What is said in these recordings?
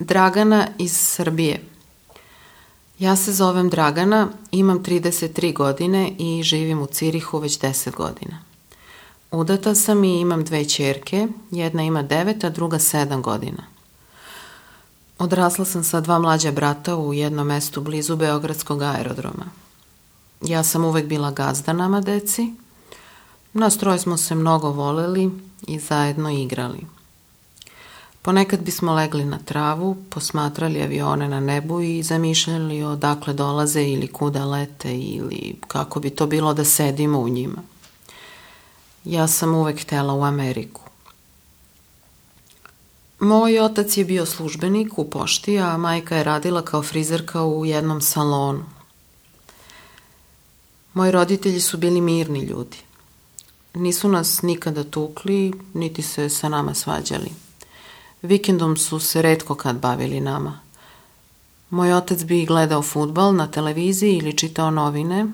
Dragana iz Srbije. Ja se zovem Dragana, imam 33 godine i živim u Cirihu već 10 godina. Udata sam i imam 2 ćerke, jedna ima 9, a druga 7 godina. Odrasla sam sa 2 mlađa brata u jednom mestu blizu Beogradskog aerodroma. Ja sam uvek bila gazda nama deci. Nas 3 smo se mnogo voleli i zajedno igrali. Ponekad bismo legli na travu, posmatrali avione na nebu i zamišljali odakle dolaze ili kuda lete ili kako bi to bilo da sedimo u njima. Ja sam uvek htela u Ameriku. Moj otac je bio službenik u pošti, a majka je radila kao frizerka u jednom salonu. Moji roditelji su bili mirni ljudi. Nisu nas nikada tukli, niti se sa nama svađali. Vikendom su se retko kad bavili nama. Moj otac bi gledao fudbal na televiziji ili čitao novine.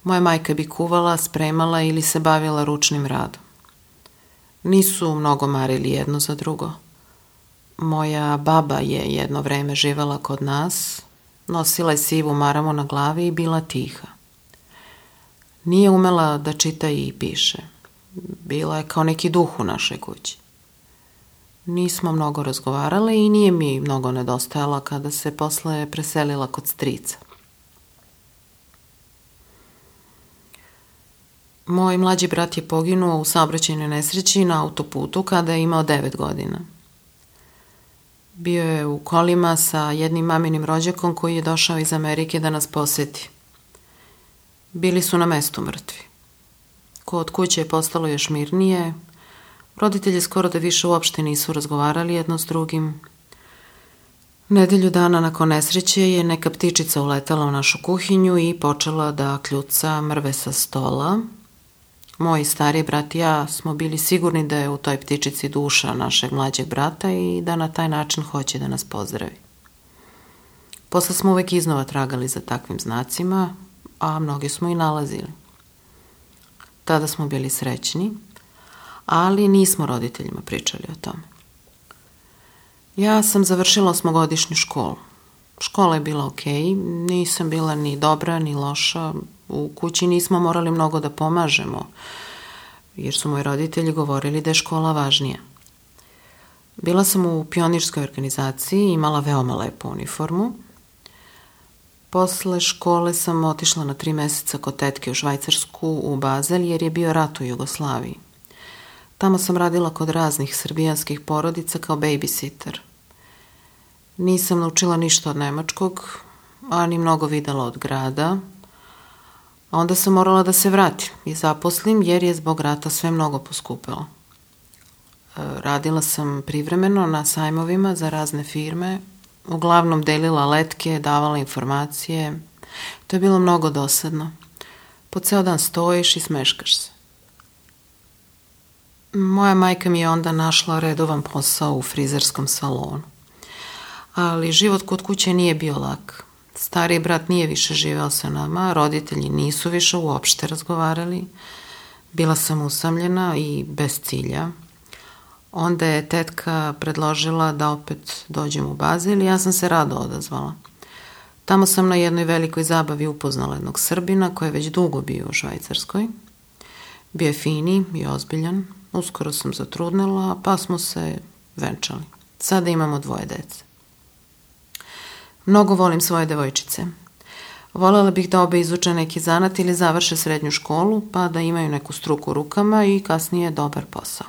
Moja majka bi kuvala, spremala ili se bavila ručnim radom. Nisu mnogo marili jedno za drugo. Moja baba je jedno vreme živela kod nas, nosila je sivu maramu na glavi i bila tiha. Nije umela da čita i piše. Bila je kao neki duh u našoj kući. Nismo mnogo razgovarale i nije mi mnogo nedostajala kada se posle preselila kod strica. Moj mlađi brat je poginuo u saobraćajnoj nesreći na autoputu kada je imao 9 godina. Bio je u kolima sa jednim maminim rođakom koji je došao iz Amerike da nas poseti. Bili su na mestu mrtvi. Kod kuće je postalo još mirnije. Roditelji skoro da više uopšte nisu razgovarali jedno s drugim. Nedelju dana nakon nesreće je neka ptičica uletela u našu kuhinju i počela da kljuca mrve sa stola. Moj stari brat i ja smo bili sigurni da je u toj ptičici duša našeg mlađeg brata i da na taj način hoće da nas pozdravi. Posle smo uvek iznova tragali za takvim znacima, a mnogi smo i nalazili. Tada smo bili srećni, ali nismo roditeljima pričali o tome. Ja sam završila 8-godišnju školu. Škola je bila okej, nisam bila ni dobra ni loša. U kući nismo morali mnogo da pomažemo, jer su moji roditelji govorili da je škola važnija. Bila sam u pionirskoj organizaciji, imala veoma lepu uniformu. Posle škole sam otišla na 3 meseca kod tetke u Švajcarsku u Bazel jer je bio rat u Jugoslaviji. Tamo sam radila kod raznih srbijanskih porodica kao babysitter. Nisam naučila ništa od nemačkog, a ni mnogo videla od grada. A onda sam morala da se vratim i zaposlim jer je zbog rata sve mnogo poskupelo. Radila sam privremeno na sajmovima za razne firme, uglavnom delila letke, davala informacije. To je bilo mnogo dosadno. Po ceo dan stojiš i smeškaš se. Moja majka mi je onda našla redovan posao u frizerskom salonu. Ali život kod kuće nije bio lak. Stariji brat nije više živeo sa nama, roditelji nisu više uopšte razgovarali. Bila sam usamljena i bez cilja. Onda je tetka predložila da opet dođem u Bazel i ja sam se rado odazvala. Tamo sam na jednoj velikoj zabavi upoznala jednog Srbina koji je već dugo bio u Švajcarskoj. Bio je fini i ozbiljan. Uskoro sam zatrudnela, pa smo se venčali. Sada imamo 2 dece. Mnogo volim svoje devojčice. Volela bih da obe izuče neki zanat ili završe srednju školu, pa da imaju neku struku u rukama i kasnije dobar posao.